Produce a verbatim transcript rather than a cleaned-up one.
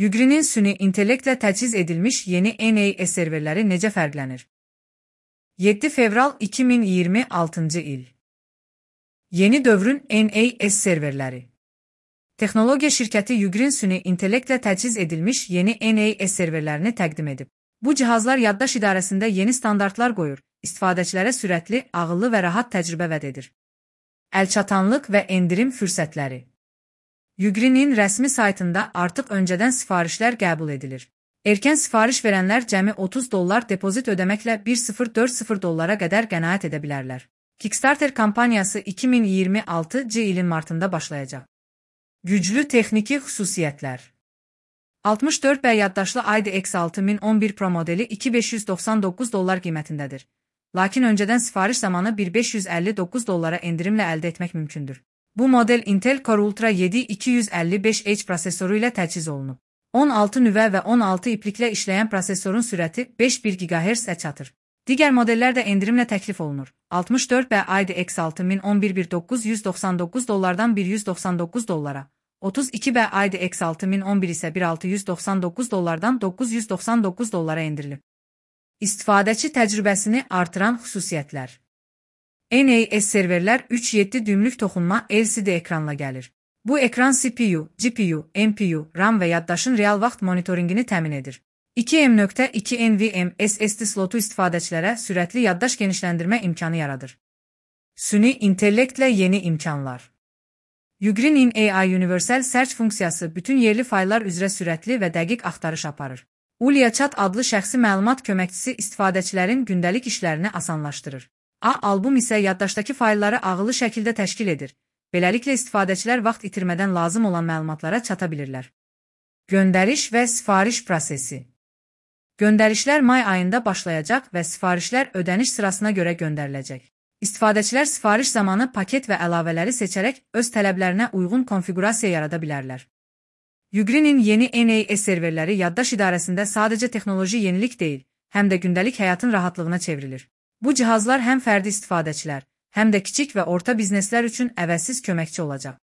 Ugrinin süni intellektlə təchiz edilmiş yeni N A S serverləri necə fərqlənir? yeddi fevral iki min iyirmi altıncı il. Yeni dövrün N A S serverləri. Texnologiya şirkəti Ugrin süni intellektlə təchiz edilmiş yeni N A S serverlərini təqdim edib. Bu cihazlar yaddaş idarəsində yeni standartlar qoyur, istifadəçilərə sürətli, ağıllı və rahat təcrübə vəd edir. Əlçatanlıq və endirim fürsətləri. Ugrinin rəsmi saytında artıq öncədən sifarişlər qəbul edilir. Erkən sifariş verənlər cəmi otuz dollar depozit ödəməklə bir min dörd yüz dollara qədər qənaət edə bilərlər. Kickstarter kampaniyası iki min iyirmi altıncı ilin martında başlayacaq. Güclü texniki xüsusiyyətlər. altmış dörd B yaddaşlı I D X altı min on bir Pro modeli iki min beş yüz doxsan doqquz dollar qiymətindədir. Lakin öncədən sifariş zamanı bir min beş yüz əlli doqquz dollara endirimlə əldə etmək mümkündür. Bu model Intel Core Ultra yeddi iki yüz əlli beş H prosesoru ilə təchiz olunub. on altı nüvə və on altı ipliklə işləyən prosesorun sürəti beş min bir giqahertzə çatır. Digər modellər də endirimlə təklif olunur. altmış dörd B I D X altı min on bir bir doqquz yüz doxsan doqquz dollardan bir yüz doxsan doqquz dollara, otuz iki B I D X altı min on bir isə bir min altı yüz doxsan doqquz dollardan doqquz yüz doxsan doqquz dollara endirilib. İstifadəçi təcrübəsini artıran xüsusiyyətlər. N A S serverlər üç yeddi düymlük toxunma L C D ekranla gəlir. Bu ekran C P U, G P U, M P U, RAM və yaddaşın real vaxt monitoringini təmin edir. iki M nöqtə iki N V M S S D slotu istifadəçilərə sürətli yaddaş genişləndirmə imkanı yaradır. Süni intellektlə yeni imkanlar. Ugrinin A I Universal Search funksiyası bütün yerli fayllar üzrə sürətli və dəqiq axtarış aparır. Ulia Chat adlı şəxsi məlumat köməkçisi istifadəçilərin gündəlik işlərini asanlaşdırır. A album isə yaddaşdakı faylları ağıllı şəkildə təşkil edir. Beləliklə istifadəçilər vaxt itirmədən lazım olan məlumatlara çata bilirlər. Göndəriş və sifariş prosesi. Göndərişlər may ayında başlayacaq və sifarişlər ödəniş sırasına görə göndəriləcək. İstifadəçilər sifariş zamanı paket və əlavələri seçərək öz tələblərinə uyğun konfiqurasiya yarada bilərlər. Ugrinin yeni N A S serverləri yaddaş idarəsində sadəcə texnoloji yenilik deyil, həm də gündəlik həyatın rahatlığına çevrilir. Bu cihazlar həm fərdi istifadəçilər, həm də kiçik və orta bizneslər üçün əvəzsiz köməkçi olacaq.